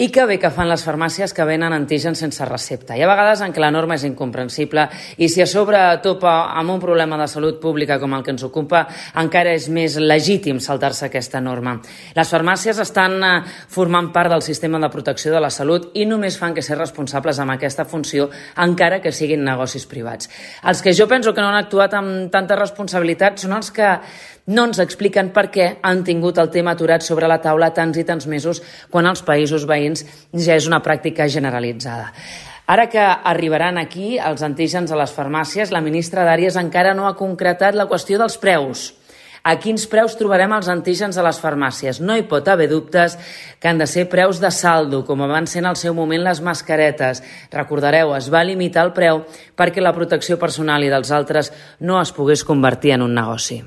I que bé que fan les farmàcies que venen antígens sense recepta. Hi ha vegades en què la norma és incomprensible i si a sobre topa amb un problema de salut pública com el que ens ocupa, encara és més legítim saltar-se aquesta norma. Les farmàcies estan formant part del sistema de protecció de la salut i només fan que ser responsables amb aquesta funció, encara que siguin negocis privats. Els que jo penso que no han actuat amb tanta responsabilitat són els que no ens expliquen per què han tingut el tema aturat sobre la taula tants i tants mesos quan als països veïns ja és una pràctica generalitzada. Ara que arribaran aquí els antígens a les farmàcies, la ministra d'Àrees encara no ha concretat la qüestió dels preus. A quins preus trobarem els antígens a les farmàcies? No hi pot haver dubtes que han de ser preus de saldo, com van ser en el seu moment les mascaretes. Recordareu, es va limitar el preu perquè la protecció personal i dels altres no es pogués convertir en un negoci.